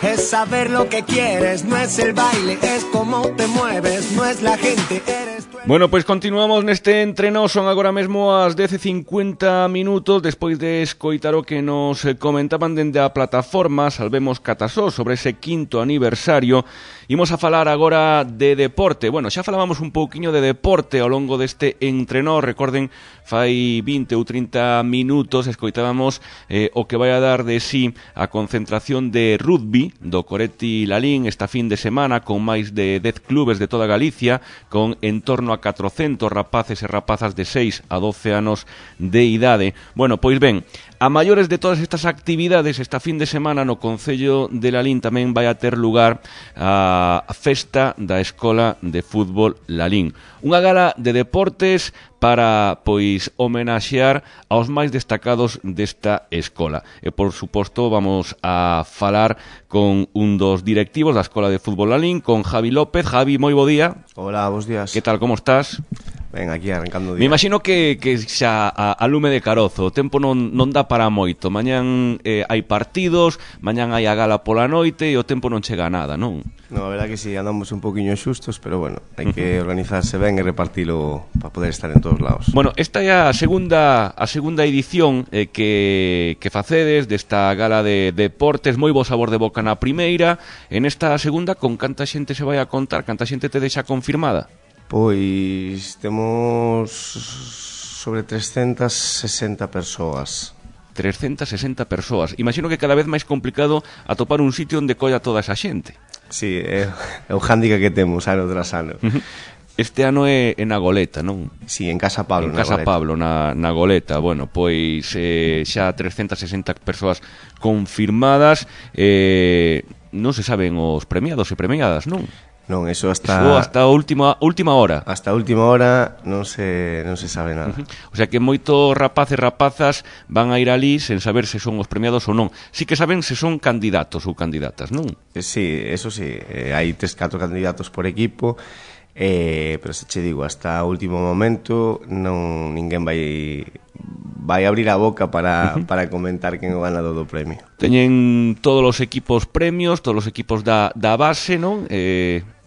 es saber lo que quieres, no es el baile, es cómo te mueves, no es la gente, eres tú. Bueno, pois continuamos neste entreno, son agora mesmo as 10:50 minutos, despois de escoitar o que nos comentaban dende a plataforma Salvemos Catasó sobre ese 5º aniversario. Imos a falar agora de deporte. Bueno, xa falábamos un pouquiño de deporte ao longo deste entreno, recorden, fai 20 ou 30 minutos escoitábamos o que vai a dar de sí a concentración de rugby do Coretti Lalín esta fin de semana, con máis de 10 clubes de toda Galicia, con en torno a 400 rapaces e rapazas de 6 a 12 anos de idade. Bueno, pois ben, a maiores de todas estas actividades, esta fin de semana no Concello de Lalín tamén vai a ter lugar a festa da Escola de Fútbol Lalín. Unha gala de deportes para, pois, homenaxear aos máis destacados desta escola. E, por suposto, vamos a falar con un dos directivos da Escola de Fútbol Lalín, con Javi López. Javi, moi bo día. Hola, bos días. Que tal, como estás? Ben, aquí arrancando o día. Me imagino que xa a lume de carozo, o tempo non dá para moito. Mañán hai partidos, mañán hai a gala pola noite e o tempo non chega a nada, non? No, a verdad que sí, andamos un poquinho xustos, pero bueno, hai que organizarse ben e repartilo para poder estar en todos lados. Bueno, esta é a segunda edición que facedes desta gala de deportes, moi bo sabor de boca na primeira. En esta segunda, con canta xente se vai a contar, canta xente te deixa confirmada? Pois temos sobre 360 persoas. 360 persoas. Imagino que cada vez máis complicado atopar un sitio onde colla toda esa xente. Sí, é o hándicap que temos ano tras ano. Este ano é na Goleta, non? Sí, en Casa Pablo, en Casa Pablo, na Goleta. Bueno, pois xa 360 persoas confirmadas. Non se saben os premiados e premiadas, non? Non, eso hasta a última hora. Hasta a última hora non se sabe nada. O sea que moitos rapaces e rapazas van a ir ali sen saber se son os premiados ou non. Sí que saben se son candidatos ou candidatas, non? Sí, eso sí, hai 3-4 candidatos por equipo, pero se che digo, hasta o último momento non ninguén vai abrir a boca para comentar quen o ganador do premio. Teñen todos os equipos premios, todos os equipos da base, non?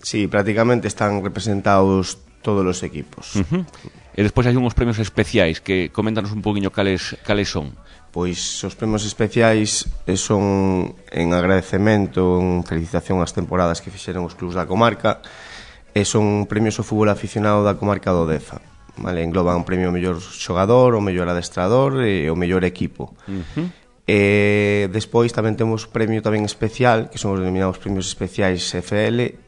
Sí, prácticamente están representados todos os equipos. E despois hai unhos premios especiais que coméntanos un poquinho cales son. Pois os premios especiais son en agradecemento, en felicitación ás temporadas que fixeron os clubs da comarca, e son premios ao fútbol aficionado da comarca do Deza. Vale, engloban un premio ao mellor xogador, ao mellor adestrador e ao mellor equipo. E despois tamén temos premio tamén especial, que son os denominados premios especiais FL,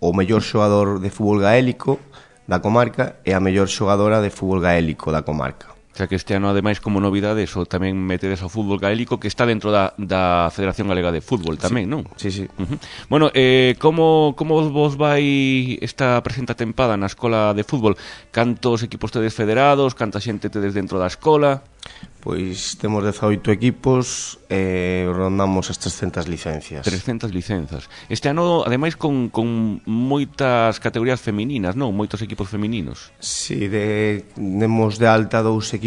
o mellor xogador de fútbol gaélico da comarca e a mellor xogadora de fútbol gaélico da comarca. O sea que este ano, ademais, como novidade, eso tamén metedes ao fútbol gaélico, que está dentro da Federación Galega de Fútbol tamén, sí, non? Sí. Bueno, como vos vai esta presenta tempada na Escola de Fútbol? Cantos equipos tedes federados? Canta xente tedes dentro da escola? Pois temos 18 equipos e rondamos as 300 licencias. 300 licenzas. Este ano, ademais, con moitas categorías femininas, non? Moitos equipos femininos. Sí, demos de alta dous equipos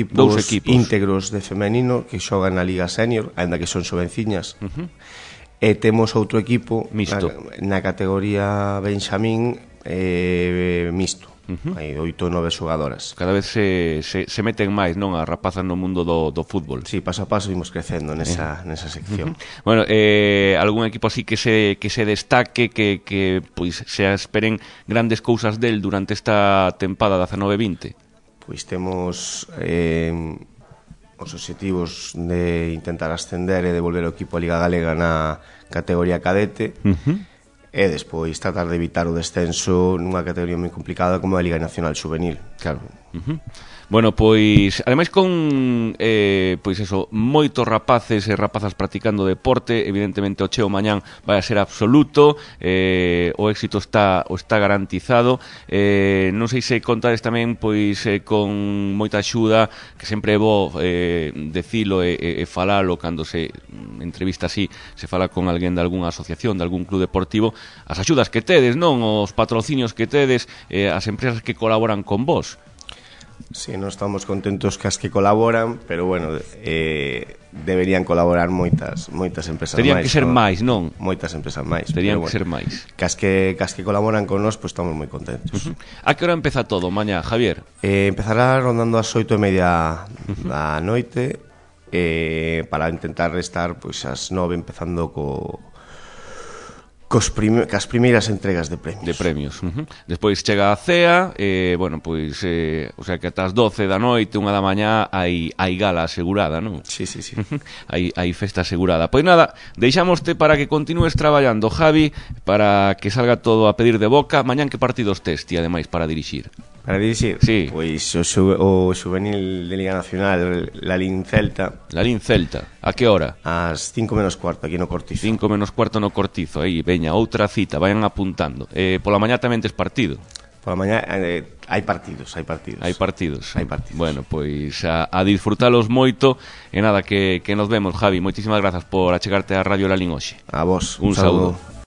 íntegros de femenino que xogan na Liga Senior, ainda que son xovenciñas. E temos outro equipo mixto na categoría Benxamín mixto. Hai 8 ou 9 xogadoras. Cada vez se meten máis, non, as rapazas no mundo do fútbol. Sí, paso a paso imos crecendo nesa sección. Bueno, algún equipo así que se destaque, que pois se esperen grandes cousas del durante esta tempada 19-20? Pois temos os obxectivos de intentar ascender e devolver o equipo a Liga Galega na categoría cadete. E despois tratar de evitar o descenso nunha categoría moi complicada como a Liga Nacional Juvenil. Claro. Bueno, pois, ademais con pois eso, moitos rapaces e rapazas practicando deporte, evidentemente o cheo mañán vai a ser absoluto, o éxito está garantizado. Non sei se contades tamén pois con moita axuda, que sempre é bo decilo e falalo cando se entrevista así, se fala con alguén de algunha asociación, de algún club deportivo, as axudas que tedes, non, os patrocinios que tedes, as empresas que colaboran con vos. Sí, non estamos contentos cas que colaboran, pero bueno, deberían colaborar moitas empresas Terían máis. Que ser máis, non? Moitas empresas máis. Terían pero que ser máis. Cas que colaboran con nós, pues estamos moi contentos. A que hora empeza todo, mañá, Javier? Empezará rondando as 8:30 da noite, para intentar estar pois ás 9 empezando cas primeiras entregas de premios. Despois chega a cea, bueno, pois, o sea que ata as 12 da noite, 1 da mañá, hai gala asegurada, non? Sí. hai festa asegurada. Pois nada, deixámoste para que continúes traballando, Javi, para que salga todo a pedir de boca. Mañán que partidos tes, ti, ademais, para dirixir? Para dirixir? Sí. Pois o Xuvenil de Liga Nacional, Lalín Celta. Lalín Celta, a que hora? Ás 5:15 aquí no Cortizo. 5:15 no Cortizo, aí, veña, outra cita, vayan apuntando. Pola mañá tamén tes partido? Pola mañá hai partidos. Bueno, pois a disfrutalos moito. E nada, que nos vemos, Javi. Moitísimas grazas por achegarte a Radio Lalín hoxe. A vos, Un saúdo.